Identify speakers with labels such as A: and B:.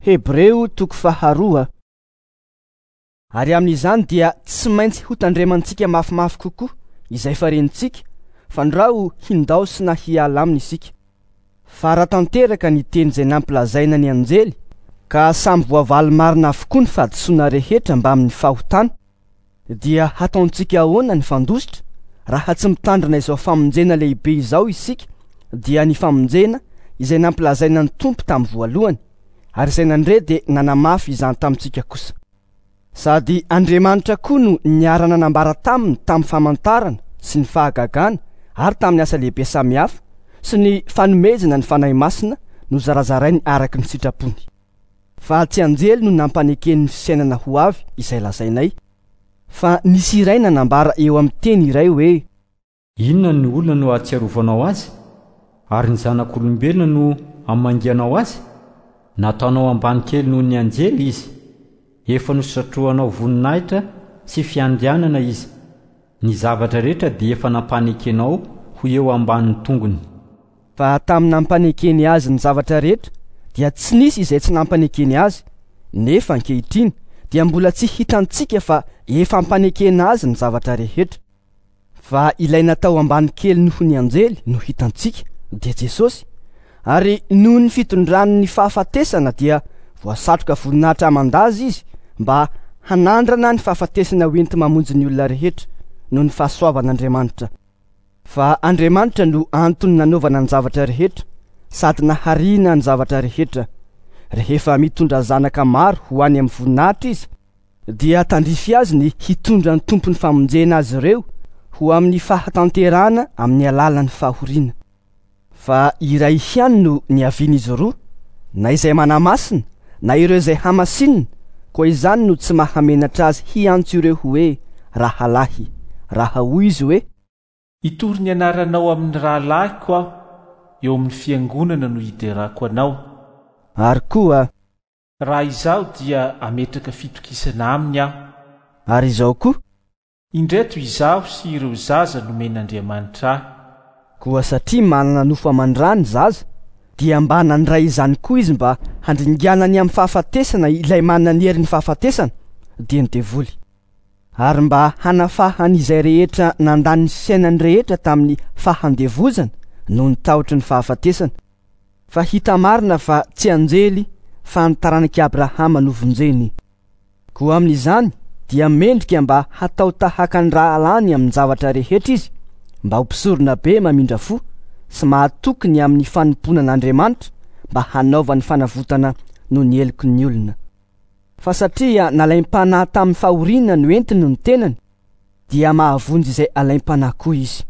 A: Hebreo toko faharoa. Ary amin'izany dia tsy maintsy hotandremantsika mafimafy kokoa izay farentsika, fandrao hindaosina hiala aminy isika. Fa raha tanteraka ny teny izay nampilazaina ny anjely, ka samy voavaly marina avokoa ny fahadisoana rehetra mbamin'ny fahotana, dia hataontsika ahoana ny fandositra raha tsy mitandrina izao famonjena lehibe izao isika, dia ny famonjena izay nampilazaina ny Tompo tamin'ny voalohany, ary izay nandre dia nanamafy izany tamintsika kosa. Sady Andriamanitra koa no niara-nanambara taminy tamin'ny famantarana sy ny fahagagana ary tamin'ny asa lehibe samihafa sy ny fanomezana ny Fanahy Masina nozarazarainy araka ny sitrapony. Fa tsy anjely no nampanekeny ny fiainana ho avy izay lazainay, fa nisy iray nanambara eo amin'ny teny iray hoe.
B: Inona ny olona no ahatsiarovanao azy? Ary ny zanak'olombelona no amangianao azy? Nataonao ambany kely noho ny anjely izy. Efa nosatrohanao voninahitra sy fiandrianana izy. Ny zavatra rehetra dia efa nampanekenao ho eo ambanin'ny tongony.
A: Fa tamin'ny nampanekeny azy ny zavatra rehetra dia tsy nisy izay tsy nampanekeny azy, nefa ankehitriny dia mbola tsy hitantsika fa efa ampanekena azy ny zavatra rehetra. Fa ilay natao ambany kely noho ny anjely no hitantsika, dia Jesosy, ary noho ny fitondrany ny fahafatesana dia voasatroka voninahitra aman-daza izy mba hanandrana ny fahafatesana hoenti-mamonjy ny olona rehetra noho ny fahasoavan'Andriamanitra. Fa Andriamanitra no antony nanaovana ny zavatra rehetra sady nahariana ny zavatra rehetra. Rehefa mitondra zanaka maro ho any amin'ny voninahitra izy, dia tandrify azy ny hitondra ny Tompon'ny famonjena azy ireo ho amin'ny fahatanterahana amin'ny alalan'ny fahoriana. Fa iray ihany no niavian'izy roa, na izay manamasina na ireo izay hamasinina, koa izany no tsy mahamenatra azy hiantso ireo hoe rahalahy, raha hoy izy hoe.
C: Hitory ny anaranao amin'ny rahalahiko aho, eo amin'ny fiangonana no hiderako anao.
A: Ary koa.
C: Raha izaho dia hametraka fitokisana aminy aho.
A: Ary izao koa.
C: Indreto izaho sy ireo zaza nomen'Andriamanitra ahy.
A: Koa satria manana nofo aman-dra ny zaza, dia mba nandray izany koa izy mba handringanany amin'ny fahafatesana ilay manana ny herin'ny fahafatesana, dia ny devoly. Ary mba hanafahany izay rehetra nandany ny fiainany rehetra tamin'ny fahandevozana noho ny tahotry ny fahafatesana. Fa hita marina fa tsy anjely fa ny taranak'i Abrahama no vonjeny. Koa amin'izany dia mendrika mba hatao tahaka ny rahalahiny amin-javatra rehetra izy, mba ho mpisorona be mamindra fo sy mahatoky ny amin'ny fanompoana an'Andriamanitra mba hanaovany fanavotana noho ny heloky ny olona. Fa satria nalaim-panahy tamin'ny fahoriana noentiny ny tenany, dia mahavonjy izay alaim-panahy koa izy.